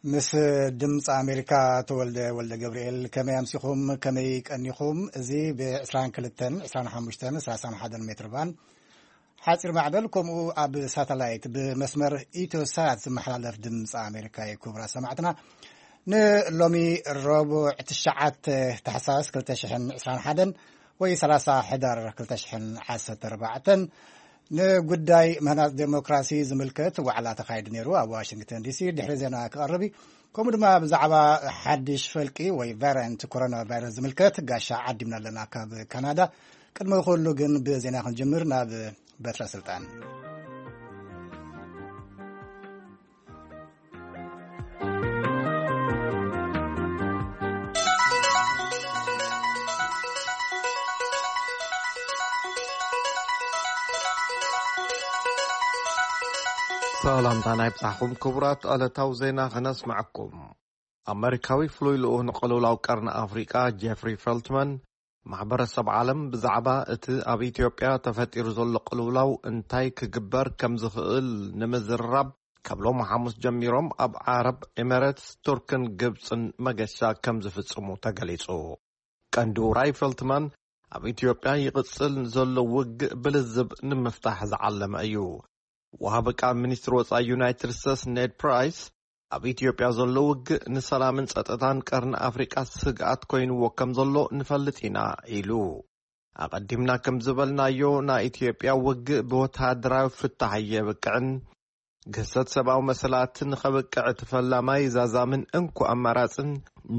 ምስ ድምፂ ኣሜሪካ ተወልደ ወልደ ገብርኤል፣ ከመይ ኣምሲኹም? ከመይ ቀኒኹም? እዚ ብ22፣ 25፣ 31 ሜትር ባን ሓፂር ማዕበል፣ ከምኡ ኣብ ሳተላይት ብመስመር ኢትዮሳት ዝመሓላለፍ ድምፂ ኣሜሪካ እዩ። ክቡራት ሰማዕትና፣ ንሎሚ ረቡዕ ትሽዓተ ታሕሳስ ክልተ ሽሕን ዕስራን ሓደን ወይ ሰላሳ ሕዳር ክልተ ሽሕን ዓሰርተ ኣርባዕተን ንጉዳይ ምህናፅ ዴሞክራሲ ዝምልከት ዋዕላ ተኻይዱ ነይሩ ኣብ ዋሽንግተን ዲሲ። ድሕሪ ዜና ክቐርብ እዩ። ከምኡ ድማ ብዛዕባ ሓድሽ ፈልቂ ወይ ቫሪያንት ኮሮና ቫይረስ ዝምልከት ጋሻ ዓዲምና ኣለና ካብ ካናዳ። ቅድሚ ኩሉ ግን ብዜና ክንጅምር ናብ በትረ ስልጣን። ሰላምታ ናይ ብጻሕኩም ክቡራት፣ ዕለታዊ ዜና ከነስምዐኩም። ኣመሪካዊ ፍሉይ ልኡኽ ንቅልውላው ቀርኒ ኣፍሪቃ ጄፍሪ ፈልትማን ማሕበረሰብ ዓለም ብዛዕባ እቲ ኣብ ኢትዮጵያ ተፈጢሩ ዘሎ ቅልውላው እንታይ ክግበር ከም ዝኽእል ንምዝርራብ ካብ ሎሚ ሓሙስ ጀሚሮም ኣብ ዓረብ ኤሜሬትስ፣ ቱርክን ግብጽን መገሻ ከም ዝፍጽሙ ተገሊጹ። ቀንዲ ውራይ ፈልትማን ኣብ ኢትዮጵያ ይቕጽል ዘሎ ውግእ ብልዝብ ንምፍታሕ ዝዓለመ እዩ። ወሃቢ ቃል ሚኒስትሪ ወጻኢ ዩናይትድ ስቴትስ ኔድ ፕራይስ ኣብ ኢትዮጵያ ዘሎ ውግእ ንሰላምን ጸጥታን ቀርኒ ኣፍሪቃ ስግኣት ኮይንዎ ከም ዘሎ ንፈልጥ ኢና ኢሉ። ኣቐዲምና ከም ዝበልናዮ ናይ ኢትዮጵያ ውግእ ብወተሃደራዊ ፍታሕ የብቅዕን። ግህሰት ሰብኣዊ መሰላት ንኸብቅዕ እቲ ፈላማይ ዛዛምን እንኮ ኣማራጽን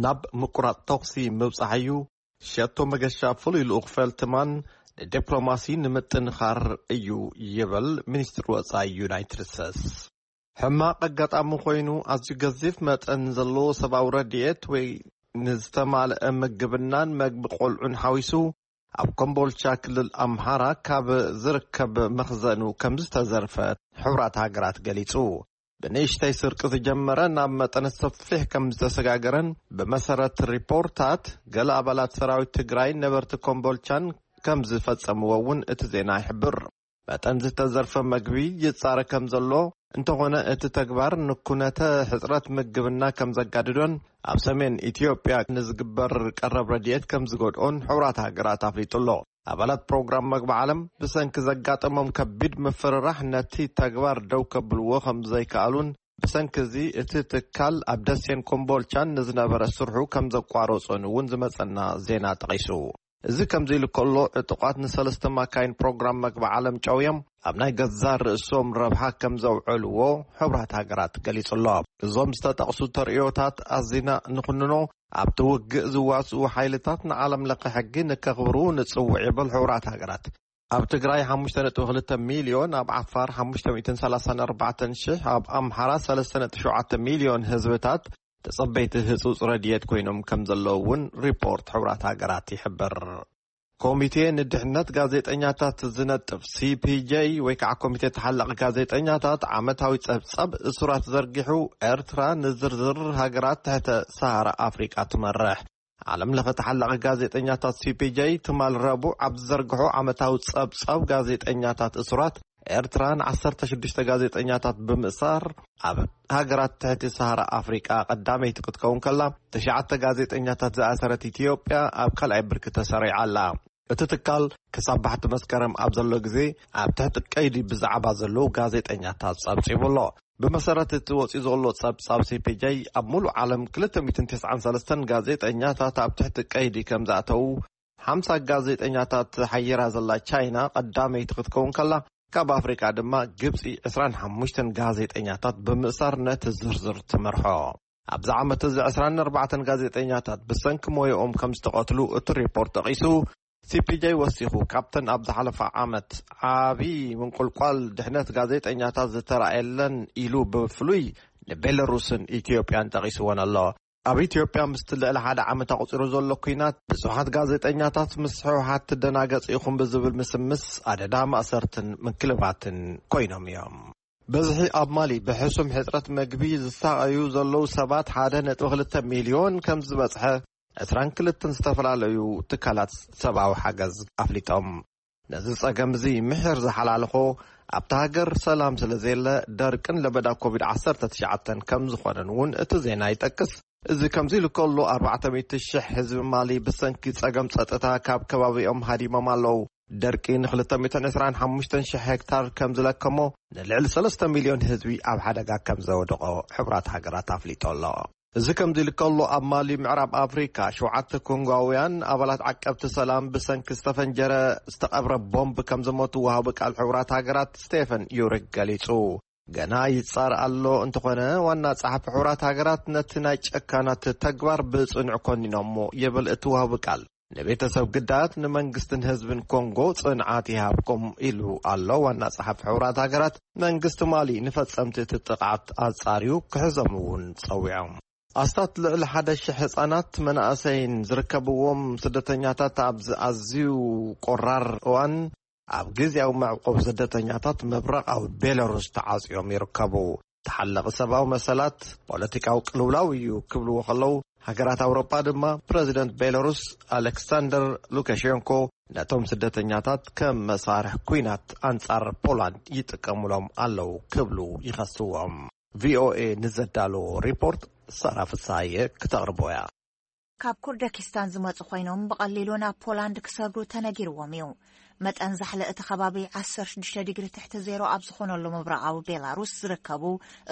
ናብ ምቁራጽ ተኹሲ ምብጻሕ እዩ። ሸቶ መገሻ ፍሉይ ልኡኽ ፈልትማን ንዲፕሎማሲ ንምጥንኻር እዩ ይብል ሚኒስትሪ ወጻኢ ዩናይትድ ስቴትስ። ሕማቕ ኣጋጣሚ ኮይኑ ኣዝዩ ገዚፍ መጠን ዘለዎ ሰብኣዊ ረድኤት ወይ ንዝተማልአ ምግብናን መግቢ ቆልዑን ሓዊሱ ኣብ ኮምቦልቻ ክልል ኣምሓራ ካብ ዝርከብ መኽዘኑ ከም ዝተዘርፈ ሕቡራት ሃገራት ገሊጹ። ብንእሽተይ ስርቂ ዝጀመረ ናብ መጠነ ሰፊሕ ከም ዝተሰጋገረን ብመሰረት ሪፖርታት ገለ ኣባላት ሰራዊት ትግራይ ነበርቲ ኮምቦልቻን ከም ዝፈጸምዎ እውን እቲ ዜና ይሕብር። መጠን ዝተዘርፈ መግቢ ይጻረ ከም ዘሎ፣ እንተኾነ እቲ ተግባር ንኩነተ ሕጽረት ምግብና ከም ዘጋድዶን ኣብ ሰሜን ኢትዮጵያ ንዝግበር ቀረብ ረድኤት ከም ዝጎድኦን ሕቡራት ሃገራት ኣፍሊጡ ኣሎ። ኣባላት ፕሮግራም መግቢ ዓለም ብሰንኪ ዘጋጠሞም ከቢድ ምፍርራሕ ነቲ ተግባር ደው ከብልዎ ከም ዘይከኣሉን ብሰንኪ እዚ እቲ ትካል ኣብ ደሴን ኮምቦልቻን ንዝነበረ ስርሑ ከም ዘቋረጾን እውን ዝመጸና ዜና ጠቒሱ። እዚ ከምዚ ኢሉ ከሎ፣ ዕጡቓት ንሰለስተ ማካይን ፕሮግራም መግቢ ዓለም ጨውዮም ኣብ ናይ ገዛ ርእሶም ረብሓ ከም ዘውዐልዎ ሕቡራት ሃገራት ገሊጹ ኣሎ። እዞም ዝተጠቕሱ ተርእዮታት ኣዚና ንኹንኖ፣ ኣብቲ ውግእ ዝዋስኡ ሓይልታት ንዓለም ለኸ ሕጊ ንከኽብሩ ንጽውዕ ይብል ሕቡራት ሃገራት። ኣብ ትግራይ ሓሙሽተ ነጥቢ ክልተ ሚልዮን፣ ኣብ ዓፋር ሓሙሽተ ሚእትን ሰላሳን ኣርባዕተን ሽሕ፣ ኣብ ኣምሓራ ሰለስተ ነጥቢ ሸውዓተ ሚልዮን ህዝብታት ተጸበይቲ ህጹጽ ረድኤት ኮይኖም ከም ዘለዉ እውን ሪፖርት ሕቡራት ሃገራት ይሕብር። ኮሚቴ ንድሕነት ጋዜጠኛታት ዝነጥፍ ሲ ፒ ጄ ወይ ከዓ ኮሚቴ ተሓላቒ ጋዜጠኛታት ዓመታዊ ጸብጻብ እሱራት ዘርጊሑ ኤርትራ ንዝርዝር ሃገራት ትሕተ ሰሃራ ኣፍሪቃ ትመርሕ። ዓለም ለኸ ተሓላቒ ጋዜጠኛታት ሲ ፒ ጄ ትማል ረቡዕ ኣብ ዝዘርግሖ ዓመታዊ ጸብጻብ ጋዜጠኛታት እሱራት ኤርትራ ን ዓሰርተ ሽዱሽተ ጋዜጠኛታት ብምእሳር ኣብ ሃገራት ትሕቲ ሰሃራ ኣፍሪቃ ቀዳመይቲ ክትከውን ከላ፣ ትሽዓተ ጋዜጠኛታት ዝኣሰረት ኢትዮጵያ ኣብ ካልኣይ ብርኪ ተሰሪዓ ኣላ። እቲ ትካል ክሳብ ባሕቲ መስከረም ኣብ ዘሎ ግዜ ኣብ ትሕቲ ቀይዲ ብዛዕባ ዘለዉ ጋዜጠኛታት ጸብጺቡ ኣሎ። ብመሰረት እቲ ወጺኡ ዘሎ ጸብጻብ ሲ ፒ ጄ ኣብ ሙሉእ ዓለም ክልተ ሚእትን ተስዓን ሰለስተን ጋዜጠኛታት ኣብ ትሕቲ ቀይዲ ከም ዝኣተዉ፣ ሓምሳ ጋዜጠኛታት ሓየራ ዘላ ቻይና ቀዳመይቲ ክትከውን ከላ፣ ካብ ኣፍሪቃ ድማ ግብጺ ዕስራን ሓሙሽተን ጋዜጠኛታት ብምእሳር ነቲ ዝርዝር ትመርሖ። ኣብዚ ዓመት እዚ ዕስራን ኣርባዕተን ጋዜጠኛታት ብሰንኪ ሞያኦም ከም ዝተቐትሉ እቲ ሪፖርት ጠቒሱ፣ ሲ ፒ ጄ ወሲኹ፣ ካብተን ኣብ ዝሓለፈ ዓመት ዓቢ ምንቁልቋል ድሕነት ጋዜጠኛታት ዝተራእየለን ኢሉ ብፍሉይ ንቤላሩስን ኢትዮጵያን ጠቒስወን ኣሎ። ኣብ ኢትዮጵያ ምስቲ ልዕሊ ሓደ ዓመት ኣቑጺሩ ዘሎ ኲናት፣ ብዙሓት ጋዜጠኛታት ምስ ህወሓት ትደናገጹ ኢኹም ብዝብል ምስምስ ኣደዳ ማእሰርትን ምንክልባትን ኮይኖም እዮም። በዝሒ ኣብ ማሊ ብሕሱም ሕጽረት መግቢ ዝሳቐዩ ዘለዉ ሰባት ሓደ ነጥቢ ክልተ ሚልዮን ከም ዝበጽሐ ዕስራን ክልተን ዝተፈላለዩ ትካላት ሰብኣዊ ሓገዝ ኣፍሊጦም። ነዚ ጸገም እዚ ምሒር ዝሓላልኾ ኣብታ ሃገር ሰላም ስለ ዘየለ ደርቅን ለበዳ ኮቪድ ዓሰርተ ትሽዓተ ከም ዝኾነን እውን እቲ ዜና ይጠቅስ። እዚ ከምዚ ኢሉ ከሎ ኣርባዕተ ሚእቲ ሽሕ ህዝቢ ማሊ ብሰንኪ ጸገም ጸጥታ ካብ ከባቢኦም ሃዲሞም ኣለዉ። ደርቂ ን ክልተ ሚእትን ዕስራን ሓሙሽተን ሽሕ ሄክታር ከም ዝለከሞ ንልዕሊ ሰለስተ ሚልዮን ህዝቢ ኣብ ሓደጋ ከም ዘወደቖ ሕቡራት ሃገራት ኣፍሊጡ ኣሎ። እዚ ከምዚ ኢሉ ከሎ ኣብ ማሊ ምዕራብ ኣፍሪካ ሸውዓተ ኮንጓውያን ኣባላት ዓቀብቲ ሰላም ብሰንኪ ዝተፈንጀረ ዝተቐብረ ቦምብ ከም ዝሞቱ ወሃቢ ቃል ሕቡራት ሃገራት ስቴፈን ዩሪክ ገሊጹ። ገና ይጻር ኣሎ እንተኾነ ዋና ጸሓፊ ሕቡራት ሃገራት ነቲ ናይ ጨካናት ተግባር ብጽኑዕ ኮኒኖሞ ይብል እቲ ወሃቢ ቃል። ንቤተሰብ ግዳያት ንመንግስትን ህዝብን ኮንጎ ጽንዓት ይሃብኩም ኢሉ ኣሎ ዋና ጸሓፊ ሕቡራት ሃገራት። መንግስቲ ማሊ ንፈጸምቲ እቲ ጥቕዓት ኣጻርዩ ክሕዞም እውን ጸዊዖም። ኣስታት ልዕሊ ሓደ ሽሕ ህጻናት መናእሰይን ዝርከብዎም ስደተኛታት ኣብዚ ኣዝዩ ቆራር እዋን ኣብ ግዝያዊ መዕቆብ ስደተኛታት ምብራቓዊ ቤላሩስ ተዓጽዮም ይርከቡ። ተሓለቒ ሰብኣዊ መሰላት ፖለቲካዊ ቅልውላው እዩ ክብልዎ ከለዉ፣ ሃገራት ኣውሮጳ ድማ ፕረዚደንት ቤላሩስ ኣሌክሳንደር ሉካሼንኮ ነቶም ስደተኛታት ከም መሳርሒ ኲናት ኣንጻር ፖላንድ ይጥቀሙሎም ኣለዉ ክብሉ ይኸስዎም። ቪኦኤ ንዘዳለዎ ሪፖርት ሳራ ፍሳየ ክተቕርቦ እያ። ካብ ኩርደኪስታን ዝመጹ ኮይኖም ብቐሊሉ ናብ ፖላንድ ክሰግሩ ተነጊርዎም እዩ። መጠን ዛሕሊ እቲ ከባቢ ዓሰርተ ሽዱሽተ ዲግሪ ትሕቲ ዜሮ ኣብ ዝኾነሉ ምብራቓዊ ቤላሩስ ዝርከቡ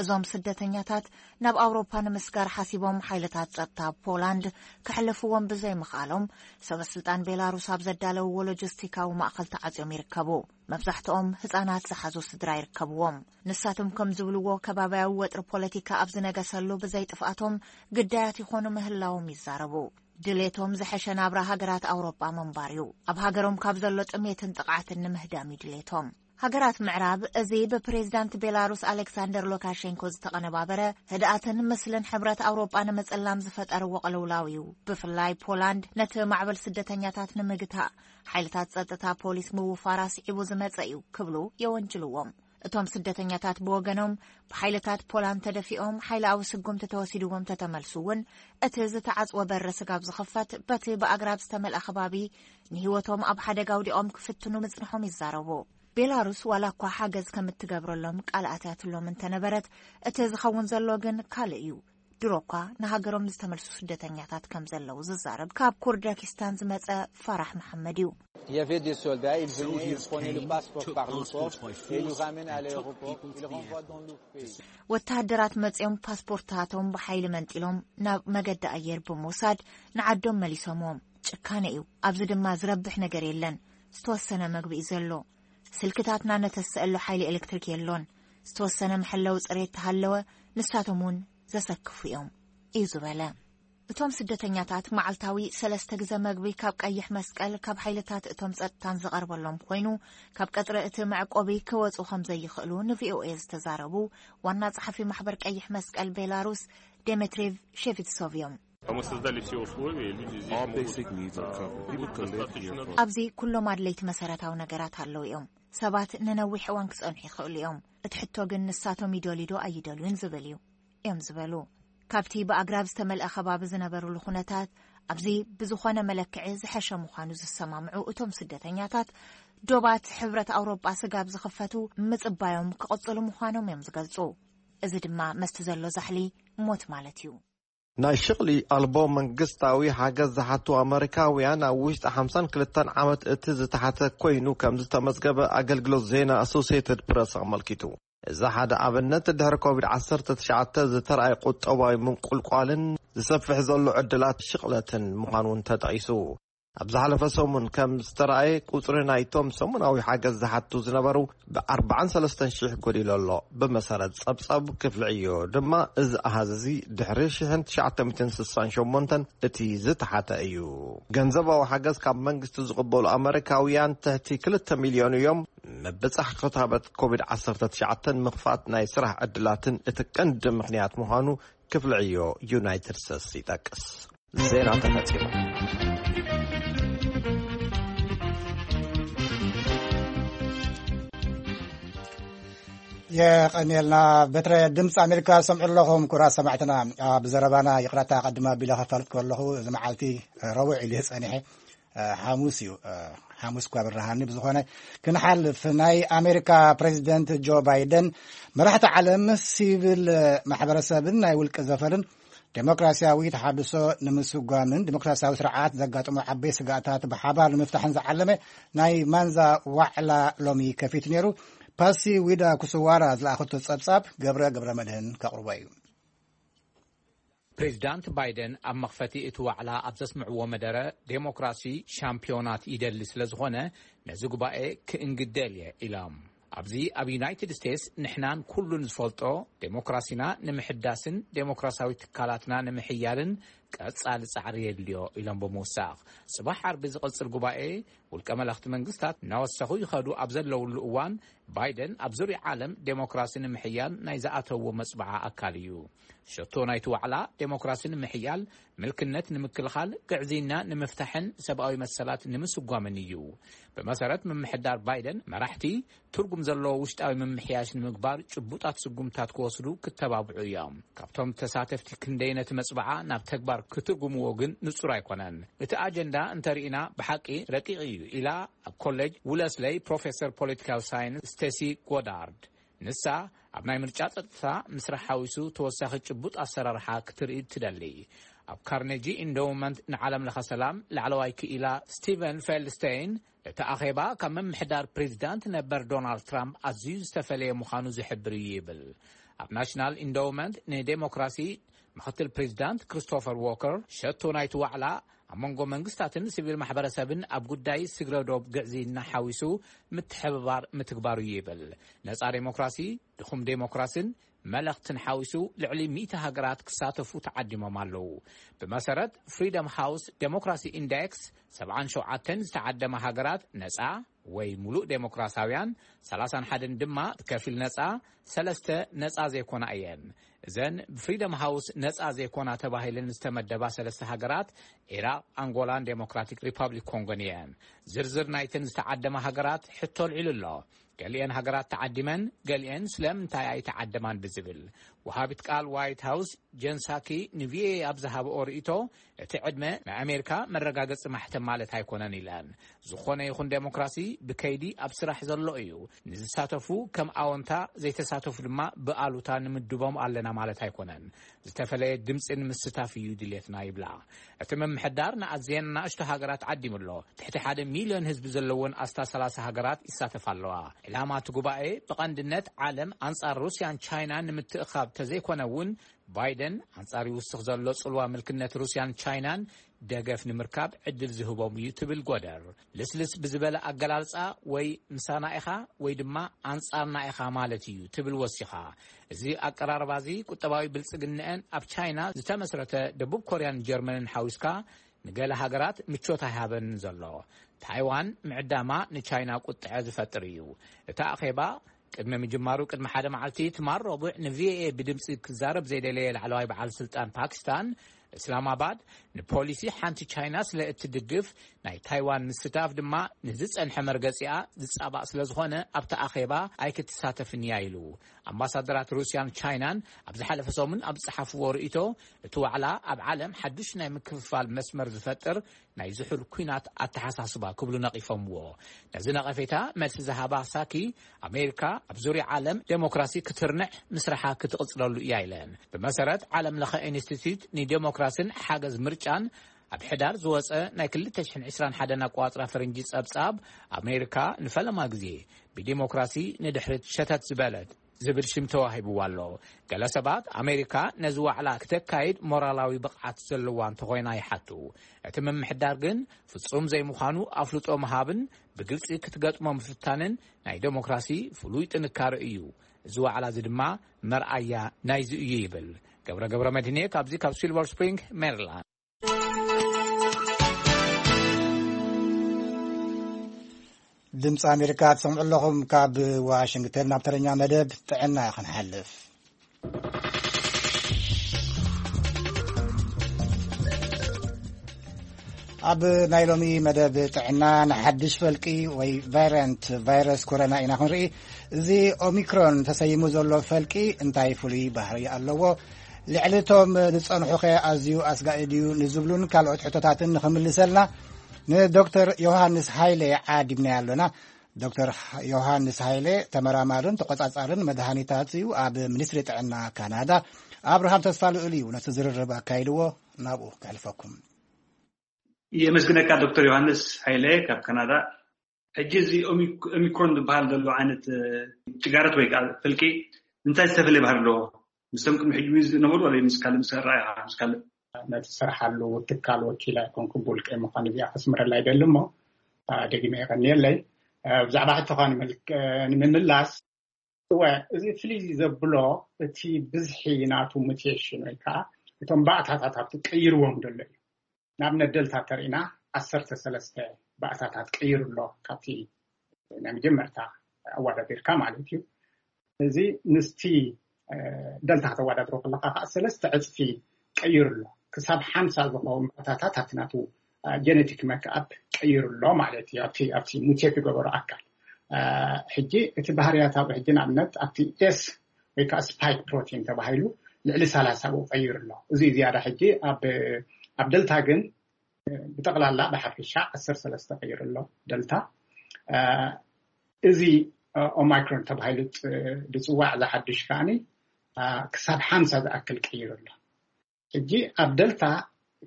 እዞም ስደተኛታት ናብ ኣውሮፓ ንምስጋር ሓሲቦም ሓይልታት ጸጥታ ፖላንድ ከሕልፍዎም ብዘይምኽኣሎም ሰበ ስልጣን ቤላሩስ ኣብ ዘዳለውዎ ሎጂስቲካዊ ማእኸል ተዓጽዮም ይርከቡ። መብዛሕትኦም ህጻናት ዝሓዙ ስድራ ይርከብዎም። ንሳቶም ከም ዝብልዎ ከባብያዊ ወጥሪ ፖለቲካ ኣብ ዝነገሰሉ ብዘይጥፍኣቶም ግዳያት ይኾኑ ምህላዎም ይዛረቡ። ድሌቶም ዝሐሸ ናብራ ሃገራት ኣውሮጳ ምንባር እዩ። ኣብ ሃገሮም ካብ ዘሎ ጥሜትን ጥቕዓትን ንምህዳም እዩ ድሌቶም። ሃገራት ምዕራብ እዚ ብፕሬዝዳንት ቤላሩስ ኣሌክሳንደር ሉካሼንኮ ዝተቐነባበረ ህድኣትን ምስልን ሕብረት ኣውሮጳ ንምጽላም ዝፈጠርዎ ቅልውላው እዩ። ብፍላይ ፖላንድ ነቲ ማዕበል ስደተኛታት ንምግታእ ሓይልታት ጸጥታ ፖሊስ ምውፋራ ስዒቡ ዝመጸ እዩ ክብሉ የወንጅልዎም። እቶም ስደተኛታት ብወገኖም ብሓይልታት ፖላንድ ተደፊኦም ሓይላዊ ስጉምቲ ተወሲድዎም ተተመልሱ እውን እቲ ዝተዓጽወ በሪ ስጋብ ዝኽፈት በቲ ብኣግራብ ዝተመልኣ ከባቢ ንህይወቶም ኣብ ሓደጋ ኣውዲቖም ክፍትኑ ምጽንሖም ይዛረቡ። ቤላሩስ ዋላ እኳ ሓገዝ ከም እትገብረሎም ቃል ኣትያትሎም እንተነበረት እቲ ዝኸውን ዘሎ ግን ካልእ እዩ። ድሮ እኳ ንሃገሮም ዝተመልሱ ስደተኛታት ከም ዘለዉ ዝዛረብ ካብ ኩርደኪስታን ዝመጸ ፋራሕ መሓመድ እዩ። Il y avait des soldats, ils venaient, ils prenaient le passeport par le port et ils nous ramènent à l'aéroport, ils renvoient dans le pays. ወተሃደራት መጺኦም ፓስፖርታቶም ብሓይሊ መንጢሎም ናብ መገዲ ኣየር ብምውሳድ ንዓዶም መሊሶምዎም። ጭካነ እዩ። ኣብዚ ድማ ዝረብሕ ነገር የለን። ዝተወሰነ መግቢ እዩ ዘሎ። ስልክታትና ነተስኣሉ ሓይሊ ኤሌክትሪክ የሎን። ዝተወሰነ መሐለዊ ጽሬት ተሃለወ ንሳቶም እውን ዘሰክፉ እዮም እዩ ዝበለ። እቶም ስደተኛታት መዓልታዊ ሰለስተ ግዘ መግቢ ካብ ቀይሕ መስቀል ካብ ሓይልታት እቶም ጸጥታን ዝቐርበሎም ኮይኑ ካብ ቀጽሪ እቲ መዕቆቢ ክወጹ ከም ዘይኽእሉ ንቪኦኤ ዝተዛረቡ ዋና ጸሓፊ ማሕበር ቀይሕ መስቀል ቤላሩስ ዴሜትሪቭ ሼቪትሶቭ እዮም። Там мы создали все условия, люди здесь All могут basic needs are covered. People can live here for ኣብዚ ኩሎም ኣድለይቲ መሰረታዊ ነገራት ኣለዉ እዮም። ሰባት ንነዊሕ እዋን ክጸንሑ ይኽእሉ እዮም። እቲ ሕቶ ግን ንሳቶም ይደልዩ ዶ ኣይደልዩን ዝብል እዩ እዮም ዝበሉ። ካብቲ ብኣግራብ ዝተመልአ ከባቢ ዝነበሩሉ ኩነታት ኣብዚ ብዝኾነ መለክዒ ዝሐሸ ምዃኑ ዝሰማምዑ እቶም ስደተኛታት ዶባት ሕብረት ኣውሮጳ ስጋብ ዝኽፈቱ ምጽባዮም ክቕጽሉ ምዃኖም እዮም ዝገልጹ። እዚ ድማ መስቲ ዘሎ ዛሕሊ ሞት ማለት እዩ። ናይ ሽቕሊ ኣልቦ መንግስታዊ ሓገዝ ዝሓቱ ኣመሪካውያን ኣብ ውሽጢ ሓምሳን ክልተን ዓመት እቲ ዝተሓተ ኮይኑ ከም ዝተመዝገበ ኣገልግሎት ዜና ኣሶሲየትድ ፕረስ ኣመልኪቱ። እዚ ሓደ ኣብነት ድሕሪ ኮቪድ ዓሰርተ ትሽዓተ ዝተርኣየ ቁጠባዊ ምንቁልቋልን ዝሰፍሕ ዘሎ ዕድላት ሽቕለትን ምዃኑ እውን ተጠቒሱ። ኣብ ዝሓለፈ ሰሙን ከም ዝተረኣየ ቁጽሪ ናይቶም ሰሙናዊ ሓገዝ ዝሓቱ ዝነበሩ ብ ኣርባዓን ሰለስተን ሽሕ ጎዲሉ ኣሎ። ብመሰረት ጸብጻብ ክፍሊ ዕዮ ድማ እዚ ኣሃዝ እዚ ድሕሪ ሽሕን ትሽዓተ ሚእትን ስሳን ሸሞንተን እቲ ዝተሓተ እዩ። ገንዘባዊ ሓገዝ ካብ መንግስቲ ዝቕበሉ ኣመሪካውያን ትሕቲ ክልተ ሚልዮን እዮም። ምብጻሕ ክታበት ኮቪድ ዓሰርተ ትሽዓተ ምኽፋት ናይ ስራሕ ዕድላትን እቲ ቀንዲ ምኽንያት ምዃኑ ክፍሊ ዕዮ ዩናይትድ ስቴትስ ይጠቅስ። ዜና ተፈጺሙ። የቐንየልና። በትረ ድምፂ ኣሜሪካ ዝሰምዑ ኣለኹም ኩራት ሰማዕትና። ኣብ ዘረባና ይቕረታ ኣቐድማ ኣቢለ ከፋልጥ ከለኹ እዚ መዓልቲ ረቡዕ ኢሉ ጸኒሐ፣ ሓሙስ እዩ። ሓሙስ እኳ ብርሃኒ። ብዝኾነ ክንሓልፍ፣ ናይ ኣሜሪካ ፕሬዚደንት ጆ ባይደን መራሕቲ ዓለም፣ ሲቪል ማሕበረሰብን ናይ ውልቂ ዘፈርን ዴሞክራሲያዊ ተሓድሶ ንምስጓምን ዴሞክራሲያዊ ስርዓት ዘጋጥሙ ዓበይ ስጋእታት ብሓባር ንምፍታሕን ዝዓለመ ናይ ማንዛ ዋዕላ ሎሚ ከፊቱ ነይሩ። ፓሲ ዊዳ ኩስዋራ ዝለኣኸቶ ጸብጻብ ገብረ ገብረ መድህን ከቕርቦ እዩ። ፕሬዚዳንት ባይደን ኣብ መኽፈቲ እቲ ዋዕላ ኣብ ዘስምዕዎ መደረ፣ ዴሞክራሲ ሻምፒዮናት ይደሊ ስለ ዝኾነ፣ ነዚ ጉባኤ ክእንግደል እየ ኢሎም። ኣብዚ ኣብ ዩናይትድ ስቴትስ ንሕናን ኩሉን ዝፈልጦ፣ ዴሞክራሲና ንምሕዳስን ዴሞክራሲያዊ ትካላትና ንምሕያልን ቀጻሊ ጻዕሪ የድልዮ ኢሎም ብምውሳኽ፣ ጽባሕ ዓርቢ ዝቕጽል ጉባኤ ውልቀ መለኽቲ መንግስታት እናወሰኹ ይኸዱ ኣብ ዘለውሉ እዋን፣ ባይደን ኣብ ዙርያ ዓለም ዴሞክራሲ ንምሕያል ናይ ዝኣተዎ መጽብዓ ኣካል እዩ። ሸቶ ናይቲ ዋዕላ፣ ዴሞክራሲ ንምሕያል፣ ምልክነት ንምክልኻል፣ ግዕዝይና ንምፍታሕን ሰብኣዊ መሰላት ንምስጓምን እዩ። ብመሰረት ምምሕዳር ባይደን፣ መራሕቲ ትርጉም ዘለዎ ውሽጣዊ ምምሕያሽ ንምግባር ጭቡጣት ስጉምታት ክወስዱ ክተባብዑ እዮም። ካብቶም ተሳተፍቲ ክንደይ ነቲ መጽብዓ ናብ ተግባር ክትርጉምዎ ግን ንጹር ኣይኮነን። እቲ ኣጀንዳ እንተርኢና ብሓቂ ረቂቕ እዩ ኢላ ኣብ ኮሌጅ ውለስለይ ፕሮፌሰር ፖለቲካዊ ሳይንስ ስቴሲ ጎዳርድ። ንሳ ኣብ ናይ ምርጫ ጸጥታ ምስራሕ ሓዊሱ ተወሳኺ ጭቡጥ ኣሰራርሓ ክትርኢ ትደሊ። ኣብ ካርኔጂ ኢንዶውመንት ንዓለም ለኸ ሰላም ላዕለዋይ ክኢላ ስቲቨን ፌልድስቴይን፣ እቲ ኣኼባ ካብ ምምሕዳር ፕሬዚዳንት ነበር ዶናልድ ትራምፕ ኣዝዩ ዝተፈለየ ምዃኑ ዝሕብር እዩ ይብል። ኣብ ናሽናል ኢንዶውመንት ንዴሞክራሲ ምኽትል ፕሬዚዳንት ክሪስቶፈር ዎከር፣ ሸቶ ናይቲ ዋዕላ ኣብ መንጎ መንግስታትን ሲቪል ማሕበረሰብን ኣብ ጉዳይ ስግረ ዶብ ግዕዝይና ሓዊሱ ምትሕብባር ምትግባር እዩ ይብል። ነጻ ዴሞክራሲ፣ ድኹም ዴሞክራሲን መለኽትን ሓዊሱ ልዕሊ ሚእቲ ሃገራት ክሳተፉ ተዓዲሞም ኣለዉ። ብመሰረት ፍሪደም ሃውስ ዴሞክራሲ ኢንዴክስ፣ ሰብዓን ሸውዓተን ዝተዓደማ ሃገራት ነጻ ወይ ሙሉእ ዴሞክራሲያውያን፣ ሰላሳን ሓደን ድማ ብከፊል ነጻ፣ ሰለስተ ነጻ ዘይኮና እየን። እዘን ብፍሪደም ሃውስ ነጻ ዘይኮና ተባሂለን ዝተመደባ ሰለስተ ሃገራት፣ ኢራቕ፣ ኣንጎላን ዴሞክራቲክ ሪፓብሊክ ኮንጎን እየን። ዝርዝር ናይተን ዝተዓደማ ሃገራት ሕቶ ኣልዒሉ ኣሎ። ገሊአን ሃገራት ተዓዲመን፣ ገሊአን ስለምንታይ ኣይተዓደማን ብዝብል። ወሃቢት ቃል ዋይት ሃውስ ጀን ሳኪ ንቪኦኤ ኣብ ዝሃብኦ ርእይቶ፣ እቲ ዕድመ ናይ ኣሜሪካ መረጋገጺ ማሕተም ማለት ኣይኮነን ኢለን። ዝኾነ ይኹን ዴሞክራሲ ብከይዲ ኣብ ስራሕ ዘሎ እዩ። ንዝሳተፉ ከም ኣወንታ፣ ዘይተሳተፉ ድማ ብኣሉታ ንምድቦም ኣለና ማለት ኣይኮነን። ዝተፈለየ ድምጺ ንምስታፍ እዩ ድሌትና ይብላ። እቲ ምምሕዳር ንኣዝየን ንኣሽቱ ሃገራት ዓዲሙ ኣሎ። ትሕቲ ሓደ ሚልዮን ህዝቢ ዘለወን ኣስታት ሰላሳ ሃገራት ይሳተፋ ኣለዋ። ዕላማ እቲ ጉባኤ ብቐንድነት ዓለም ኣንጻር ሩስያን ቻይናን ንምትእኻብ ተዘይኮነ እውን፣ ባይደን ኣንጻር ይውስኽ ዘሎ ጽልዋ ምልክነት ሩስያን ቻይናን ደገፍ ንምርካብ ዕድል ዝህቦም እዩ ትብል ጎደር። ልስልስ ብዝበለ ኣገላልጻ፣ ወይ ምሳና ኢኻ ወይ ድማ ኣንጻርና ኢኻ ማለት እዩ ትብል ወሲኻ። እዚ ኣቀራርባ እዚ ቁጠባዊ ብልጽግንአን ኣብ ቻይና ዝተመስረተ ደቡብ ኮርያን ጀርመንን ሓዊስካ ንገለ ሃገራት ምቾት ኣይሃበንን ዘሎ። ታይዋን ምዕዳማ ንቻይና ቁጥዐ ዝፈጥር እዩ። እቲ ኣኼባ ቅድሚ ምጅማሩ ቅድሚ ሓደ መዓልቲ ትማል ረቡዕ ንቪኦኤ ብድምጺ ክዛረብ ዘይደለየ ላዕለዋይ በዓል ስልጣን ፓኪስታን፣ እስላማባድ ንፖሊሲ ሓንቲ ቻይና ስለ እትድግፍ፣ ናይ ታይዋን ምስታፍ ድማ ንዝጸንሐ መርገጺኣ ዝጻባእ ስለ ዝኾነ ኣብቲ ኣኼባ ኣይክትሳተፍን እያ ኢሉ። ኣምባሳደራት ሩስያን ቻይናን ኣብ ዝሓለፈ ሰሙን ኣብ ዝጸሓፍዎ ርእይቶ፣ እቲ ዋዕላ ኣብ ዓለም ሓዱሽ ናይ ምክፍፋል መስመር ዝፈጥር ናይ ዝሑል ኲናት ኣተሓሳስባ ክብሉ ነቒፎምዎ። ነዚ ነቐፌታ መልሲ ዝሃባ ሳኪ፣ ኣሜሪካ ኣብ ዙርያ ዓለም ዴሞክራሲ ክትርንዕ ምስራሓ ክትቕጽለሉ እያ ኢለን። ብመሰረት ዓለም ለኸ ኢንስቲትዩት ንዴሞክራሲን ሓገዝ ምርጫን ኣብ ሕዳር ዝወጸ ናይ ክልተ ሽሕን ዕስራን ሓደን ኣቆጻጽራ ፈረንጂ ጸብጻብ፣ ኣሜሪካ ንፈለማ ግዜ ብዴሞክራሲ ንድሕሪት ሸተት ዝበለት ዝብል ሽም ተዋሂብዋ ኣሎ። ገለ ሰባት ኣሜሪካ ነዚ ዋዕላ ክተካይድ ሞራላዊ ብቕዓት ዘለዋ እንተኾይና ይሓቱ። እቲ ምምሕዳር ግን ፍጹም ዘይምዃኑ ኣፍልጦ ምሃብን ብግልጺ ክትገጥሞ ምፍታንን ናይ ዴሞክራሲ ፍሉይ ጥንካረ እዩ። እዚ ዋዕላ እዚ ድማ መርኣያ ናይዚ እዩ ይብል። ገብረ ገብረ መድህኔ ካብዚ ካብ ሲልቨር ስፕሪንግ ሜሪላንድ። ድምፂ ኣሜሪካ ትሰምዑ ኣለኹም። ካብ ዋሽንግተን ናብ ተረኛ መደብ ጥዕና ክንሓልፍ። ኣብ ናይ ሎሚ መደብ ጥዕና ንሓድሽ ፈልቂ ወይ ቫይረንት ቫይረስ ኮሮና ኢና ክንርኢ። እዚ ኦሚክሮን ተሰይሙ ዘሎ ፈልቂ እንታይ ፍሉይ ባህሪ ኣለዎ? ልዕሊ እቶም ዝጸንሑኸ ኣዝዩ ኣስጋኢ ድዩ ንዝብሉን ካልኦት ሕቶታትን ንኽምልሰልና ንዶክተር ዮሃንስ ሃይለ ዓዲምና ኣሎና። ዶክተር ዮሃንስ ሃይለ ተመራማርን ተቆጻጻርን መድሃኒታት እዩ። ኣብ ሚኒስትሪ ጥዕና ካናዳ። ኣብርሃም ተስፋ ልኡል እዩ ነቲ ዝርርብ ኣካይድዎ። ናብኡ ከሕልፈኩም። የመስግነካ ዶክተር ዮሃንስ ሃይለ ካብ ካናዳ። ሕጂ እዚ ኦሚክ- ኦሚክሮን ዝበሃል ዘሎ ዓይነት እ፣ ጭጋረት ወይ ከዓ ፍልቂ እንታይ ዝተፈለየ ባህሪ ኣለዎ? ምስቶም ቅድሚ ሕጂ ዝነበሩ ወይ ምስ ካልእ ምስ ኣረኣእያ ምስ ካልእ? ነቲ ዝሰርሓሉ ትካል ወኪላ ኣይኮንኩ፣ ብውልቀይ ምዃኑ እዚኣ ከስምረላ ይደሊ እሞ፣ ኣ፣ ደጊመ የቐንየለይ። ኣ፣ ብዛዕባ ሕቶኻ ንምል- ንምምላስ፣ እወ፣ እዚ ፍልይ ዘብሎ እቲ ብዝሒ ናቱ ሙቴሽን ወይ ከዓ እቶም ባእታታት ኣብቲ ቀይርዎም ዘሎ እዩ። ንኣብነት ደልታ ተሪእና ዓሰርተ ሰለስተ ባእታታት ቀይሩ ኣሎ፣ ካብቲ ናይ መጀመርታ ኣወዳዲርካ ማለት እዩ። እዚ ምስቲ እ፣ ደልታ ከተወዳድሮ ከለካ ከዓ ሰለስተ ዕፅፊ ቀይሩ ኣሎ። ክሳብ ሓምሳ ዝኸውን ባእታታት ኣብቲ ናቱ እ፣ ጀነቲክ መክኣፕ ቀይሩ ኣሎ ማለት እዩ። ኣብቲ ኣብቲ ሙቴት ዝገበሮ ኣካል እ፣ ሕጂ እቲ ባህርያታዊ ሕጂ ንኣብነት ኣብቲ ኤስ ወይ ከዓ ስፓይክ ፕሮቲን ተባሂሉ ልዕሊ ሰላሳ ብኡ ቀይሩ ኣሎ። እዚ ዝያዳ ሕጂ ኣብ ኣብ ደልታ ግን ብጠቕላላ ብሓፈሻ ዓሰርተ ሰለስተ ቀይሩ ኣሎ ደልታ። እ፣ እዚ እ፣ ኦማይክሮን ተባሂሉ ጥ- ዝፅዋዕ ዝሓድሽ ከዓኒ እ፣ ክሳብ ሓምሳ ዝኣክል ቀይሩ ኣሎ። ሕጂ ኣብ ደልታ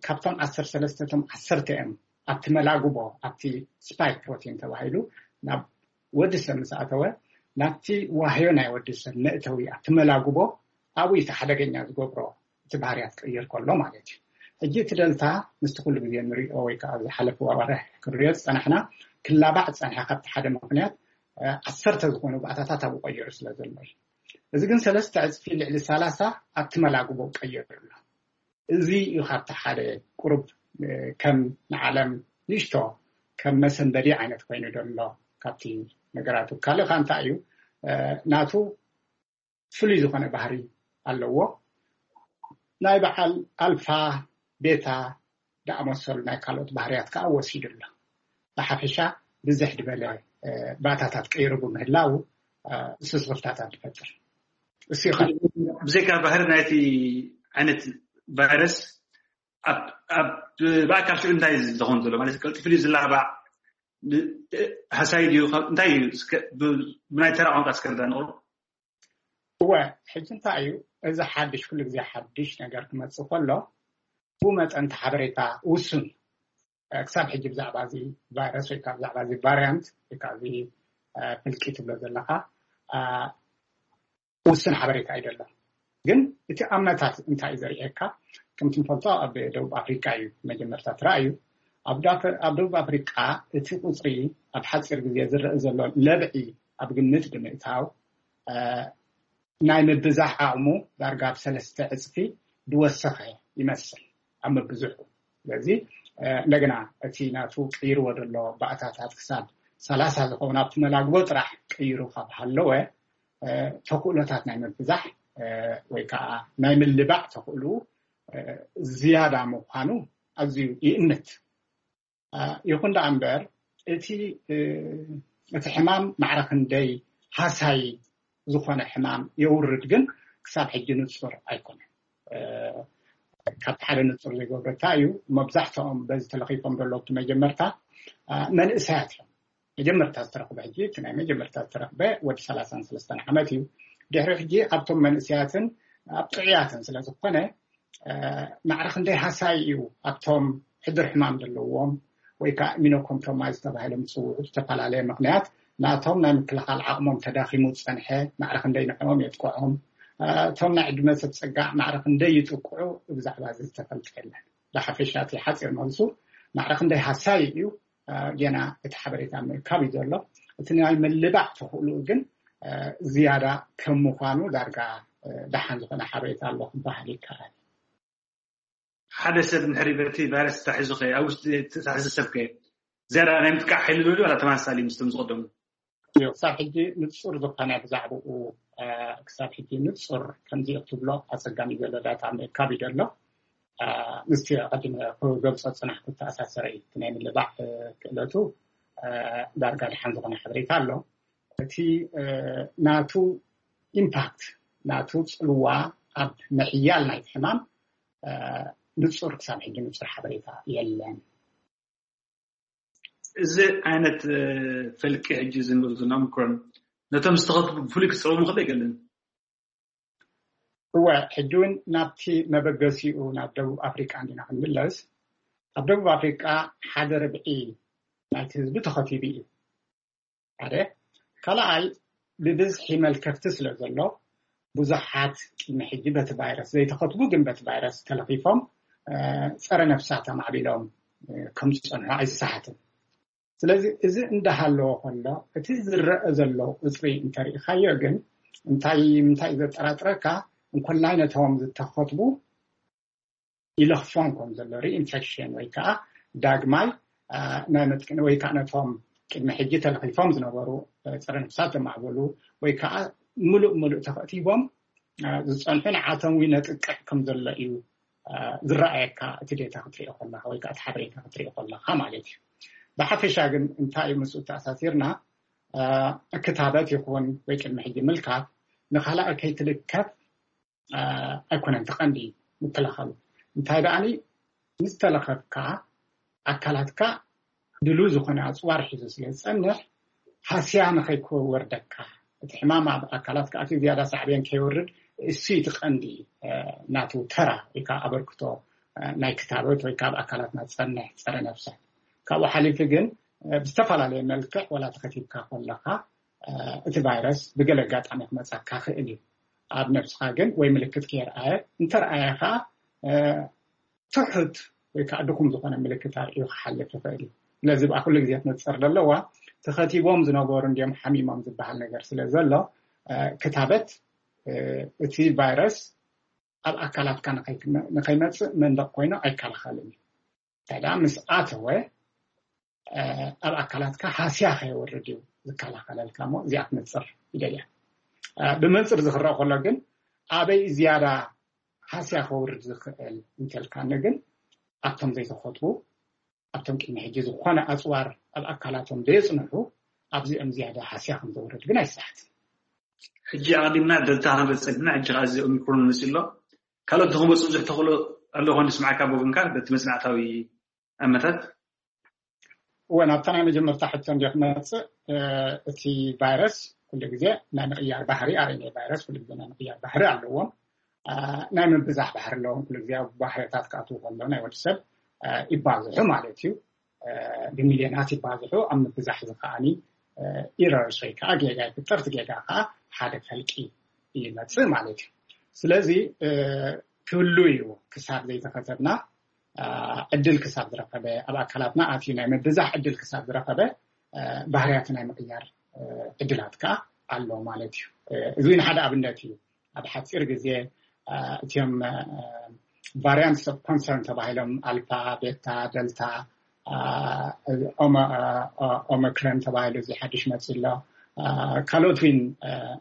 ካብቶም ዓሰርተ ሰለስተ እቶም ዓሰርተ እዮም ኣብቲ መላጉቦ ኣብቲ ስፓይክ ፕሮቲን ተባሂሉ ናብ ወዲ ሰብ ምስ ኣተወ ናብቲ ዋህዮ ናይ ወዲ ሰብ መእተዊ ኣብቲ መላጉቦ ኣብኡ እቲ ሓደገኛ ዝገብሮ እቲ ባህርያት ክቕይር ከሎ ማለት እዩ። ሕጂ እቲ ደልታ ምስቲ ኩሉ ግዜ ንሪኦ ወይ ከዓ ዝሓለፈ ዋርሕ ክንሪኦ ዝፀናሕና ክላባዕ ዝፀንሐ ካብቲ ሓደ ምክንያት እ፣ ዓሰርተ ዝኾኑ ባእታታት ኣብኡ ቀይሩ ስለ ዘሎ እዩ። እዚ ግን ሰለስተ ዕፅፊ ልዕሊ ሰላሳ ኣብቲ መላግቦ ቀይሩ ኣሎ። እዚ እዩ ካብቲ ሓደ ቁሩብ እ፣ ከም ንዓለም ንእሽቶ ከም መሰንበዲ ዓይነት ኮይኑ ዘሎ ካብቲ ነገራቱ። ካልእ ከ እንታይ እዩ እ፣ ናቱ ፍሉይ ዝኾነ ባህሪ ኣለዎ። ናይ በዓል ኣልፋ ቤታ ዝኣመሰሉ ናይ ካልኦት ባህርያት ከዓ ወሲዱ ኣሎ። ብሓፈሻ ብዝሕ ዝበለ እ፣ ባእታታት ቀይሩ ብምህላው እ፣ ስስኽፍታታት ዝፈጥር እሱ ይኸ ብዘይካ ባህሪ ናይቲ ዓይነት ቫይረስ ኣብ ኣብ ብኣካል ሽዑ እንታይ ዝኸውን ዘሎ ማለት ቀልጢፉ ድዩ ዝላባዕ ብ- ሃሳይ ድዩ ካብ- እንታይ እዩ እስከ ብ- ብናይ ተራ ቋንቋ እስከ ርዳ ንቕሩ እወ፣ ሕጂ እንታይ እዩ እዚ ሓድሽ ኩሉ ግዜ ሓድሽ ነገር ክመፅእ ከሎ ብኡ መጠን እቲ ሓበሬታ ውሱን እ፣ ክሳብ ሕጂ ብዛዕባ እዚ ቫይረስ ወይ ከዓ ብዛዕባ እዚ ቫሪያንት ወይ ከዓ እዚ እ፣ ፍልቂ ትብሎ ዘለካ እ፣ ውሱን ሓበሬታ እዩ ዘሎ። ግን እቲ ኣመታት እንታይ እዩ ዘርእየካ? ከምቲ ንፈልጦ ኣብ ደቡብ ኣፍሪቃ እዩ መጀመርታ ተራእዩ። ኣብ ዳፈ- ኣብ ደቡብ ኣፍሪቃ እቲ ቁፅሪ ኣብ ሓፂር ግዜ ዝረአ ዘሎ ለብዒ ኣብ ግምት ብምእታው እ፣ ናይ ምብዛሕ ዓቕሙ ዳርጋ ኣብ ሰለስተ ዕፅፊ ዝወሰኸ ይመስል ኣብ ምብዝሑ። ስለዚ እ፣ እንደገና እቲ ናቱ ቀይርዎ ዘሎ ባእታታት ክሳብ ሰላሳ ዝኸውን ኣብቲ መላግቦ ጥራሕ ቀይሩ ካብ ሃለወ እ፣ ተኽእሎታት ናይ ምብዛሕ እ፣ ወይ ከዓ ናይ ምልባዕ ተኽእሉ እ፣ ዝያዳ ምዃኑ ኣዝዩ ይእምት። እ፣ ይኹን ደኣ እምበር እቲ እ፣ እቲ ሕማም ማዕረ ክንደይ ሃሳይ ዝኾነ ሕማም የውርድ ግን ክሳብ ሕጂ ንጹር ኣይኮነን። እ፣ ካብቲ ሓደ ንጹር ዘይገብረታ እዩ። መብዛሕትኦም በዚ ተለኺፎም ዘለዉ ኣብቲ መጀመርታ እ፣ መንእሰያት እዮም። መጀመርታ ዝተረኽበ ሕጂ እቲ ናይ መጀመርታ ዝተረኽበ ወዲ ሰላሳን ሰለስተን ዓመት እዩ። ድሕሪ ሕጂ ኣብቶም መንእሰያትን ኣብ ጥዑያትን ስለ ዝኾነ እ፣ ማዕረ ክንደይ ሃሳይ እዩ ኣብቶም ሕዱር ሕማም ዘለዎም ወይ ከዓ ኢሚኖኮምፕሮማይዝ ተባሂሎም ዝፅውዑ ዝተፈላለየ ምክንያት ናቶም ናይ ምክልኻል ዓቕሞም ተዳኺሙ ዝፀንሐ ማዕረ ክንደይ ንዕኦም የጥቅዖም እ፣ እቶም ናይ ዕድመ ሰብ ፀጋ ማዕረ ክንደይ ይጥቅዑ ብዛዕባ እዚ ዝተፈልጠ የለን። ብሓፈሻ እቲ ሓፂር መልሱ ማዕረ ክንደይ ሃሳይ እዩ እ፣ ጌና እቲ ሓበሬታ ምእካብ እዩ ዘሎ። እቲ ናይ ምልባዕ ተኽእልኡ ግን እ፣ ዝያዳ ከም ምዃኑ ዳርጋ እ፣ ደሓን ዝኾነ ሓበሬታ ኣሎ ክበሃል ይከኣል። ሓደ ሰብ እንድሕሪ በቲ ቫይረስ ተታሒዙ ከ ኣብ ውሽጢ ተታሒዙ ሰብ ከ ዝያዳ ናይ ምጥቃዕ ሓይሊ ዶ ዋላ ተመሳሳሊ ምስቶም ዝቐደሙ? እዩ ክሳብ ሕጂ ንጹር ዝኾነ ብዛዕባኡ እ፣ ክሳብ ሕጂ ንጹር ከምዚ እዩ ክትብሎ ኣጸጋሚ ዘሎ ዳታ ምእካብ እዩ ዘሎ። እ፣ ምስቲ ቀዲመ ክገልጾ ዝጸናሕኩ ዝተኣሳሰረ እዩ። እቲ ናይ ምልባዕ እ፣ ክእለቱ እ፣ ዳርጋ ደሓን ዝኾነ ሓበሬታ ኣሎ። እቲ እ፣ ናቱ ኢምፓክት ናቱ ጽልዋ ኣብ ምሕያል ናይቲ ሕማም እ፣ ንጹር ክሳብ ሕጂ ንጹር ሓበሬታ የለን። እዚ ዓይነት ፈልቂ ሕጂ ዝንብብ ዝና ምክሮን ነቶም ዝተኸትቡ ብፍሉይ ክፀቡ ምኽእል ኣይገልን። እወ፣ ሕጂ እውን ናብቲ መበገሲኡ ናብ ደቡብ ኣፍሪቃ እንዲና ክንምለስ፣ ኣብ ደቡብ ኣፍሪቃ ሓደ ርብዒ ናይቲ ህዝቢ ተኸቲቡ እዩ። ሓደ ካልኣይ፣ ብብዝሒ መልከፍቲ ስለ ዘሎ፣ ብዙሓት ቅድሚ ሕጂ በቲ ቫይረስ ዘይተኸትቡ ግን በቲ ቫይረስ ተለኺፎም ጸረ ነፍሳት ኣማዕቢሎም ከም ዝጸንሑ ኣይሰሓትን። ስለዚ እዚ እንዳሃለዎ ከሎ፣ እቲ ዝረአ ዘሎ ቁፅሪ እንተሪኢኻዮ ግን እንታይ ምንታይ ዘጠራጥረካ፣ እንኮላይ ነቶም ዝተኸትቡ ይለኽፎም ከም ዘሎ፣ ሪኢንፌክሽን ወይ ከዓ ዳግማይ ናይ መጥቅኒ ወይ ከዓ ነቶም ቅድሚ ሕጂ ተለኺፎም ዝነበሩ ፀረ ነፍሳት ዘማዕበሉ ወይ ከዓ ምሉእ ምሉእ ተኸቲቦም ዝፀንሑ ንዓቶም እውን ነጥቅዕ ከም ዘሎ እዩ ዝረኣየካ፣ እቲ ዴታ ክትሪኦ ከለካ ወይ ከዓ እቲ ሓበሬታ ክትሪኦ ከለካ ማለት እዩ። ብሓፈሻ ግን እንታይ እዩ ምስኡ ተኣሳሲርና፣ ክታበት ይኹን ወይ ቅድሚ ሕጂ ምልካፍ ንካልኣይ ከይትልከፍ ኣይኮነን ተቐንዲ ምክልኻሉ። እንታይ ደኣኒ ምስ ተለኸፍካ ኣካላትካ ድሉ ዝኾነ ኣፅዋር ሒዙ ስለ ዝፀንሕ ሃስያ ንኸይክወርደካ፣ እቲ ሕማም ኣብ ኣካላት ከኣትዩ ዝያዳ ሳዕቤን ከይወርድ እሱ እቲ ቀንዲ ናቱ ተራ ወይ ከዓ ኣበርክቶ ናይ ክታበት ወይ ካብ ኣካላትና ዝፀንሕ ፀረ ነፍሳት። ካብኡ ሓሊፊ ግን ብዝተፈላለየ መልክዕ ወላ ተኸቲብካ ከለካ እቲ ቫይረስ ብገለ ኣጋጣሚ ክመፃካ ክእል እዩ። ኣብ ነብስካ ግን ወይ ምልክት ከየርኣየ፣ እንተርኣየ ከዓ ትሑት ወይ ከዓ ድኹም ዝኾነ ምልክት ኣርእዩ ክሓልፍ ይኽእል እዩ። ስለዚ ብኣ ኩሉ ግዜ ትነፅር ዘለዋ ተኸቲቦም ዝነበሩ እንዲዮም ሓሚሞም ዝበሃል ነገር ስለ ዘሎ ክታበት እቲ ቫይረስ ኣብ ኣካላትካ ንኸይመፅእ መንደቕ ኮይኑ ኣይከላኸልን እዩ። እንታይ ደኣ ምስ ኣተወ ኣብ ኣካላትካ ሃስያ ከየወርድ እዩ ዝከላኸለልካ። እሞ እዚኣ ትነፅር ይደልያ። ብመንፅር ዝክረእ ከሎ ግን ኣበይ ዝያዳ ሃስያ ከውርድ ዝኽእል እንተልካኒ ግን ኣብቶም ዘይተኸትቡ፣ ኣብቶም ቅድሚ ሕጂ ዝኾነ ኣፅዋር ኣብ ኣካላቶም ዘየፅንሑ ኣብዚኦም ዝያዳ ሃስያ ከም ዘውርድ ግን ኣይሰሓትን። ሕጂ ኣቐዲምና ደልታ ክንርኢ ፀኒሕና፣ ሕጂ ከዓ እዚ ኦሚክሮን መፂኡ ኣሎ። ካልኦት ንክመፁ ብዙሕ ተኽእሎ ኣሎ ኾን ንስማዕካ ብወገንካ በቲ መፅናዕታዊ ኣመታት? እወ፣ ናብታ ናይ መጀመርታ ሕቶ እንዲ ክመፅእ፣ እቲ ቫይረስ ኩሉ ግዜ ናይ ምቕያር ባህሪ፣ ኣርኤንኤ ቫይረስ ኩሉ ግዜ ናይ ምቕያር ባህሪ ኣለዎም። ናይ ምብዛሕ ባህሪ ኣለዎም። ኩሉ ግዜ ኣብ ባህርታት ክኣትዉ ከሎ ናይ ወዲ ሰብ ይባዝሑ ማለት እዩ። ብሚልዮናት ይባዝሑ። ኣብ ምብዛሕ እዚ ከዓኒ ኢረርስ ወይ ከዓ ጌጋ ይፍጠር። እቲ ጌጋ ከዓ ሓደ ፈልቂ ይመፅእ ማለት እዩ። ስለዚ ክህሉ እዩ ክሳብ ዘይተኸተብና ዕድል ክሳብ ዝረኸበ፣ ኣብ ኣካላትና ኣትዩ ናይ ምብዛሕ ዕድል ክሳብ ዝረኸበ ባህርያቱ ናይ ምቕያር ዕድላት ከዓ ኣሎ ማለት እዩ። እዚ እውን ሓደ ኣብነት እዩ። ኣብ ሓፂር ግዜ እቲኦም ቫሪያንትስ ኦፍ ኮንሰርን ተባሂሎም ኣልፋ፣ ቤታ፣ ደልታ፣ ኦመክረን ተባሂሉ እዚ ሓድሽ መፂ ኣሎ። ካልኦት ዊን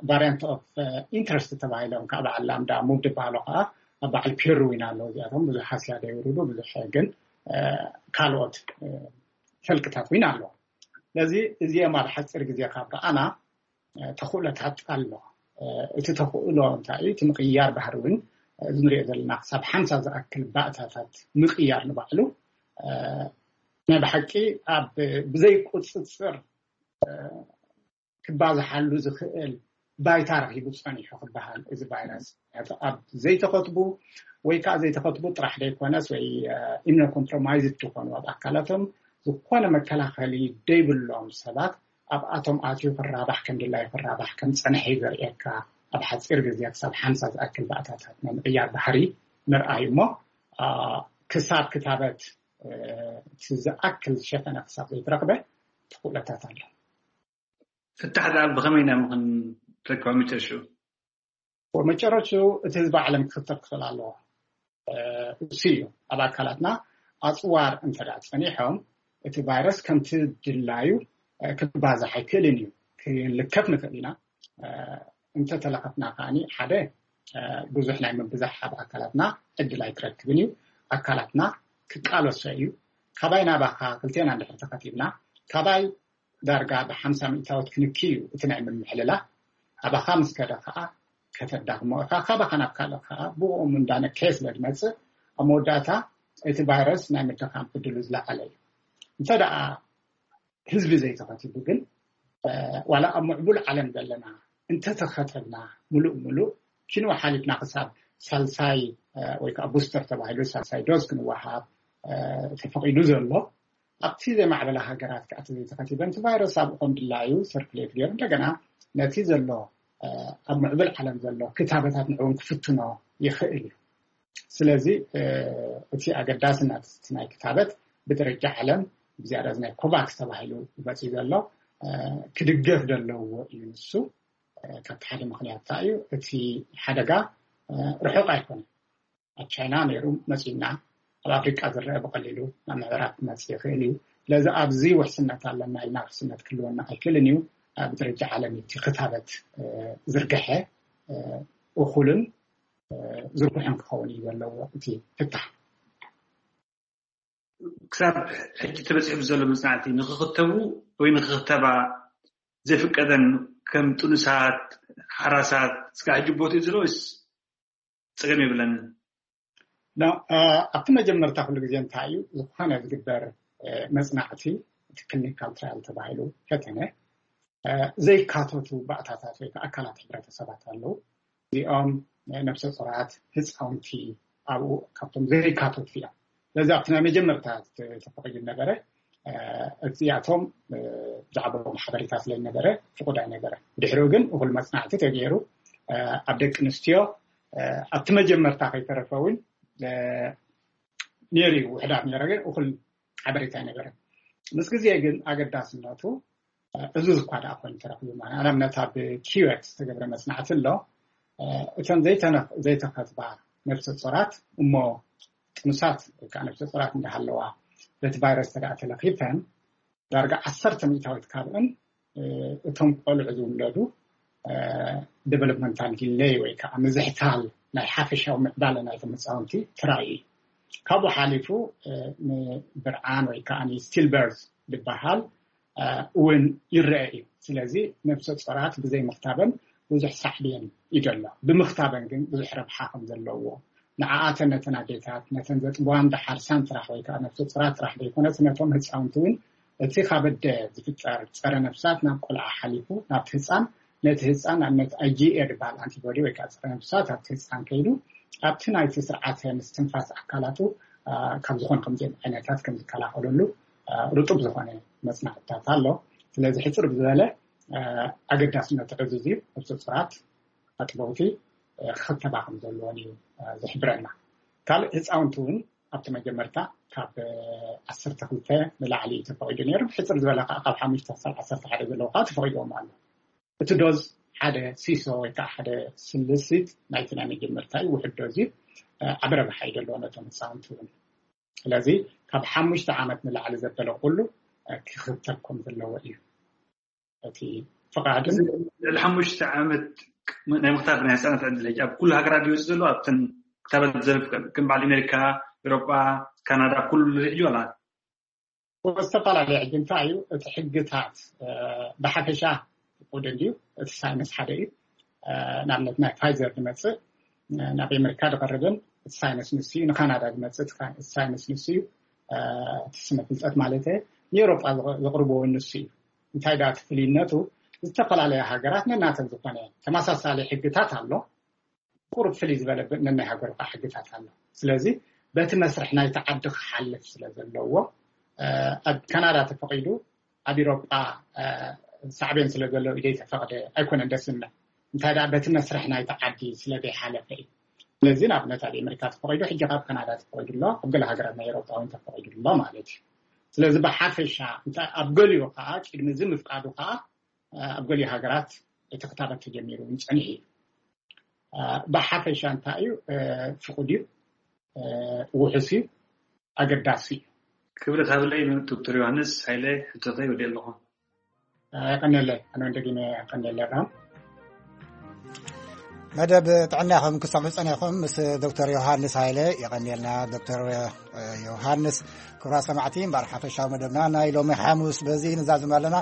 ቫሪያንት ኦፍ ኢንትረስት ተባሂሎም ካብ በዓል ላምዳ ሙብ ዝበሃሉ ከዓ ኣብ በዓል ፔሩ ዊን ኣለዉ። እዚኣቶም ብዙሕ ሃስያ ደይውርዱ ብዙሕ ግን ካልኦት ፈልቅታት ዊን ኣለዉ። ስለዚ እዚኦም ኣብ ሓፂር ግዜ ካብ ረኣና ተኽእሎታት ኣሎ። እቲ ተኽእሎ እንታይ እዩ? እቲ ምቕያር ባህሪ እውን እዚ ንሪኦ ዘለና ክሳብ ሓምሳ ዝኣክል ባእታታት ምቕያር ንባዕሉ ናይ ብሓቂ ኣብ ብዘይ ቁፅፅር ክባዝሓሉ ዝኽእል ባይታ ረኺቡ ፀኒሑ ክበሃል እዚ ቫይረስ ኣብ ዘይተኸትቡ ወይ ከዓ ዘይተኸትቡ ጥራሕ ዘይኮነስ ወይ ኢምኖኮምፕሮማይዝድ ዝኾኑ ኣብ ኣካላቶም ዝኾነ መከላኸሊ ደይብሎም ሰባት ኣብኣቶም ኣትዩ ክራባሕ ከም ድላዩ ክራባሕ ከም ፀንሐ እዩ ዘርእየካ። ኣብ ሓፂር ግዜ ክሳብ ሓምሳ ዝኣክል ባእታታት ናይ ምቕያር ባህሪ ምርኣይ እሞ ክሳብ ክታበት እቲ ዝኣክል ዝሸፈነ ክሳብ ዘይትረኽበ ተኽእሎታት ኣሎ። ፍታሕ ደኣ ብኸመይ ኢና ምኽን ረክባ መጨረሽኡ? መጨረሽኡ እቲ ህዝቢ ዓለም ክኽተብ ክኽእል ኣለዎ። እሱ እዩ ኣብ ኣካላትና ኣፅዋር እንተ ደኣ ፀኒሖም እቲ ቫይረስ ከምቲ ድላዩ ክባዛሕ ኣይክእልን እዩ። ክንልከፍ ንኽእል ኢና። እንተተለኸፍና ከዓኒ ሓደ ብዙሕ ናይ ምብዛሕ ኣብ ኣካላትና ዕድል ኣይትረክብን እዩ። ኣካላትና ክቃለሶ እዩ። ካባይ ናባኻ ክልቴና እንድሕር ተኸቲብና ካባይ ዳርጋ ብሓምሳ ሚእታዎት ክንኪ እዩ እቲ ናይ ምምሕልላ። ኣባኻ ምስ ከደ ከዓ ከተዳኽሞ እኻ። ካባኻ ናብ ካልእ ከዓ ብኡ እንዳነከየ ስለ ዝመፅእ ኣብ መወዳእታ እቲ ቫይረስ ናይ ምድኻም ዕድሉ ዝለዓለ እዩ። እንተ ደኣ ህዝቢ ዘይተኸቲቡ ግን ዋላ ኣብ ምዕቡል ዓለም ዘለና እንተተኸተብና፣ ሙሉእ ሙሉእ ኪንዋ ሓሊፍና ክሳብ ሳልሳይ ወይ ከዓ ቡስተር ተባሂሉ ሳልሳይ ዶዝ ክንወሃብ ተፈቒዱ ዘሎ፣ ኣብቲ ዘይማዕበላ ሃገራት ከዓ እቲ ዘይተኸቲበን እቲ ቫይረስ ኣብኡ ከም ድላዩ ሰርኩሌት ገይሩ እንደገና ነቲ ዘሎ ኣብ ምዕብል ዓለም ዘሎ ክታበታት ንዕውን ክፍትኖ ይኽእል እዩ። ስለዚ እቲ ኣገዳስነት ናይ ክታበት ብደረጃ ዓለም ብዝያዳ ናይ ኮቫክስ ተባሂሉ ይመፅእ ዘሎ ክድገፍ ዘለዎ እዩ። ንሱ ካብቲ ሓደ ምክንያት እዩ። እቲ ሓደጋ ርሑቕ ኣይኮነን። ኣብ ቻይና ነይሩ መፂና፣ ኣብ ኣፍሪቃ ዝረአ ብቐሊሉ ናብ ምዕራብ ክመፅእ ይኽእል እዩ። ስለዚ ኣብዚ ውሕስነት ኣለና ኢልና ውሕስነት ክህልወና ኣይክእልን እዩ። ብደረጃ ዓለም እቲ ክታበት ዝርግሐ እኹልን ዝርግሐን ክኸውን እዩ ዘለዎ እቲ ፍታሕ። ክሳብ ሕጂ ተበፂሑ ዘሎ መፅናዕቲ ንክኽተቡ ወይ ንክኽተባ ዘይፍቀደን ከም ጥኑሳት ሓራሳት እስካ ሕጂ ቦትኡ ዘሎ ወይስ ፀገም የብለንን? ኣብቲ መጀመርታ ኩሉ ግዜ እንታይ እዩ ዝኾነ ዝግበር መፅናዕቲ እቲ ክሊኒካል ትራያል ተባሂሉ ፈተነ ዘይካተቱ ባእታታት ወይ ኣካላት ሕብረተሰባት ኣለዉ። እዚኦም ነብሰ ፁራት ህፃውንቲ ኣብኡ ካብቶም ዘይካተቱ እዮም። ስለዚ ኣብቲ ናይ መጀመርታ ተፈቂዱ ነበረ። እዚኣቶም ብዛዕባኦም ሓበሬታ ስለ ነበረ ፍቁድ ኣይነበረ። ድሕሪኡ ግን እኹል መፅናዕቲ ተገይሩ ኣብ ደቂ ኣንስትዮ ኣብቲ መጀመርታ ከይተረፈ እውን ነይሩ እዩ። ውሕዳት ነረ ግን እኹል ሓበሬታ ኣይነበረን። ምስ ግዜ ግን ኣገዳስነቱ እዚ ዝኳ ደኣ ኮይኑ ተረኪቡ ማለት ንኣብነት ኣብ ኪወት ዝተገብረ መፅናዕቲ ኣሎ። እተን ዘይተኸትባ ነብሰ ፆራት እሞ ጥኑሳት ወይ ከዓ ነብሰ ፆራት እንዳሃለዋ በቲ ቫይረስ ተደኣ ተለኪፈን ዳርጋ ዓሰርተ ሚእታዊት ካብእን እቶም ቆልዑ ዝውለዱ ዴቨሎፕመንታል ዲለይ ወይ ከዓ ምዝሕታል ናይ ሓፈሻዊ ምዕባለ ናይቶም ህፃውንቲ ትራይ እዩ። ካብኡ ሓሊፉ ንብርዓን ወይ ከዓ ስቲል በርዝ ዝበሃል እውን ይረአ እዩ። ስለዚ ነብሰ ፆራት ብዘይ ምክታበን ብዙሕ ሳዕብየን ይደሎ፣ ብምክታበን ግን ብዙሕ ረብሓ ከም ዘለዎ ንዓኣተን ነተን ኣዴታት ነተን ዘጥብዋን ደሓር ሳን ጥራሕ ወይ ከዓ ነብሰ ፁራት ጥራሕ ዘይኮነስ ነቶም ህፃውንቲ እውን እቲ ካብ ኣደ ዝፍጠር ፀረ ነብሳት ናብ ቆልዓ ሓሊፉ ናብቲ ህፃን ነቲ ህፃን ኣብነት ኣይ ጂ ኤ ዝበሃል ኣንቲቦዲ ወይ ከዓ ፀረ ነብሳት ኣብቲ ህፃን ከይዱ ኣብቲ ናይቲ ስርዓተ ምስትንፋስ ኣካላቱ ካብ ዝኾን ከምዚኦም ዓይነታት ከም ዝከላኸለሉ ርጡብ ዝኾነ መፅናዕትታት ኣሎ። ስለዚ ሕፅር ብዝበለ ኣገዳስነቱ ዕዙዝ እዩ። ነብሰ ፁራት ኣጥበውቲ ክኽተባ ከም ዘለዎን እዩ ዝሕብረና። ካልእ ህፃውንቲ እውን ኣብቲ መጀመርታ ካብ ዓሰርተ ክልተ ንላዕሊ እዩ ተፈቒዱ ነይሩ። ብሕፅር ዝበለ ከዓ ካብ ሓሙሽተ ክሳብ ዓሰርተ ሓደ ዘለዉ ከዓ ተፈቒድዎም ኣሎ። እቲ ዶዝ ሓደ ሲሶ ወይ ከዓ ሓደ ስልሲት ናይቲ ናይ መጀመርታ እዩ። ውሕድ ዶዝ እዩ። ዓቢ ረብሓ እዩ ዘለዎ ነቶም ህፃውንቲ እውን። ስለዚ ካብ ሓሙሽተ ዓመት ንላዕሊ ዘበለ ኩሉ ክኽተብ ከም ዘለዎ እዩ እቲ ፍቓድን። ልዕሊ ሓሙሽተ ዓመት ናይ ምክታብ ናይ ህፃናት ዕድል ሕጂ ኣብ ኩሉ ሃገራት ይወፅእ ዘሎ ኣብተን ክታበት ዘርፍ ከም በዓል ኣሜሪካ፣ ኤሮጳ፣ ካናዳ ኩሉ ሪሕ ዋላ ዝተፈላለዩ ሕጂ እንታይ እዩ እቲ ሕግታት ብሓፈሻ ፍቁድ እንድዩ። እቲ ሳይንስ ሓደ እዩ። ንኣብነት ናይ ፋይዘር ዝመፅእ ናብ ኣሜሪካ ዝቐርብን እቲ ሳይንስ ንሱ እዩ። ንካናዳ ዝመፅእ እቲ ሳይንስ ንሱ እዩ። እቲ ስነ ፍልጠት ማለት ንኤሮጳ ዘቕርብዎ ንሱ እዩ። እንታይ ዳ እቲ ፍልይነቱ? ዝተፈላለያ ሃገራት ነናተን ዝኾነ ተመሳሳሊ ሕግታት ኣሎ። ቁሩብ ፍልይ ዝበለ ነናይ ሃገሩ ከዓ ሕግታት ኣሎ። ስለዚ በቲ መስርሕ ናይቲ ዓዲ ክሓልፍ ስለ ዘለዎ ኣብ ካናዳ ተፈቒዱ ኣብ ኢሮጳ ሳዕቤን ስለ ዘለዎ ኢደይ ተፈቕደ ኣይኮነን ደስ ዝምነ። እንታይ ደኣ በቲ መስርሕ ናይቲ ዓዲ ስለ ዘይሓለፈ እዩ። ስለዚ ንኣብነት ኣብ ኣሜሪካ ተፈቒዱ ሕጂ ካብ ካናዳ ተፈቒዱ ኣሎ፣ ኣብ ገለ ሃገራት ናይ ኤሮጳ እውን ተፈቒዱ ኣሎ ማለት እዩ። ስለዚ ብሓፈሻ ኣብ ገሊኡ ከዓ ቅድሚ እዚ ምፍቃዱ ከዓ ኣብ ገሊኡ ሃገራት እቲ ክታበት ተጀሚሩ እውን ፀኒሑ እዩ። ብሓፈሻ እንታይ እዩ ፍቁድ እዩ፣ ውሑስ እዩ፣ ኣገዳሲ እዩ። ክብረት ሃብለይ ዶክተር ዮሃንስ ሃይለ ሕቶተይ ወዲየ ኣለኹ። ቀነለ ኣነ ደጊመ ቀነለ ኣብርሃም። መደብ ጥዕና ኢኹም ክሰምዑ ጸኒኹም ምስ ዶክተር ዮሃንስ ሃይለ። የቐንየልና ዶክተር ዮሃንስ። ክብራ ሰማዕቲ እምበኣር ሓፈሻዊ መደብና ናይ ሎሚ ሓሙስ በዚ ንዛዝም ኣለና።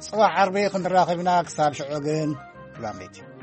ጽባሕ ዓርቢ ክንራኸብ ኢና። ክሳብ ሽዑ ግን ክላመይቲ